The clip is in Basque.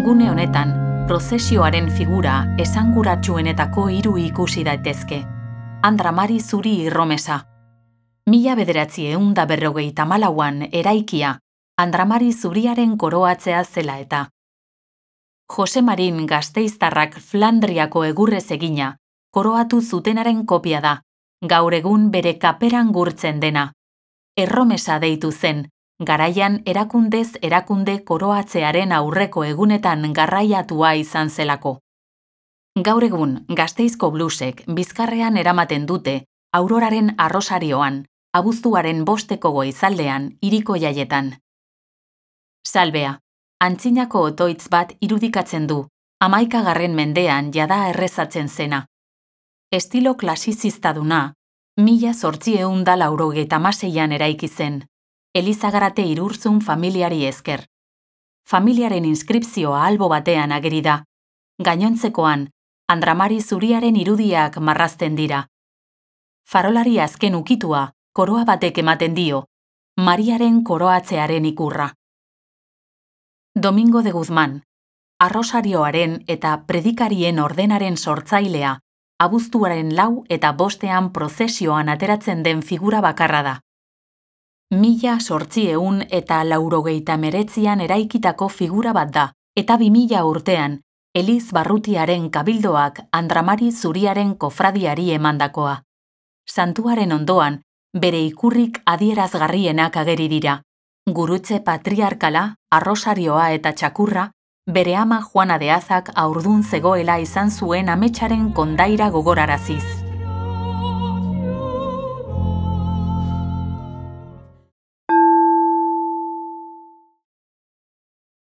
Gune honetan, prozesioaren figura esanguratsuenetako 3 ikusi daitezke. Andra Mari Zuri Irromesa. 1954an eraikia, Andra Mari Zuriaren koroatzea zela eta. Jose Marin Gasteiztarrak Flandriako egurrez egina, koroatu zutenaren kopia da, gaur egun bere kaperan gurtzen dena. Erromesa deitu zen, garaian erakundez erakunde koroatzearen aurreko egunetan garraiatua izan zelako. Gaur egun Gasteizko blusek bizkarrean eramaten dute Auroraren arrosarioan, abuztuaren 5 goizaldean hiriko jaietan. Salbea, antzinako otoitz bat irudikatzen du, 11. mendean jada errezatzen zena. Estilo klasizistaduna, 1896an eraiki zen, Elizagarate Irurzun familiari esker. Familiaren inskripzioa albo batean ageri da, gainontzekoan, Andra Mari Zuriaren irudiak marrazten dira. Farolari azken ukitua, koroa batek ematen dio, Mariaren koroatzearen ikurra. Domingo de Guzmán, arrosarioaren eta predikarien ordenaren sortzailea, abuztuaren 4 eta 5ean prozesioan ateratzen den figura bakarra da. 1889an eraikitako figura bat da, eta 2000 urtean, Eliz Barrutiaren kabildoak Andra Mari Zuriaren kofradiari emandakoa. Santuaren ondoan, bere ikurrik adierazgarrienak ageri dira. Gurutze patriarkala, arrosarioa eta txakurra, bere ama Juana de Azak haurdun zegoela izan zuen ametsaren kondaira gogoraraziz.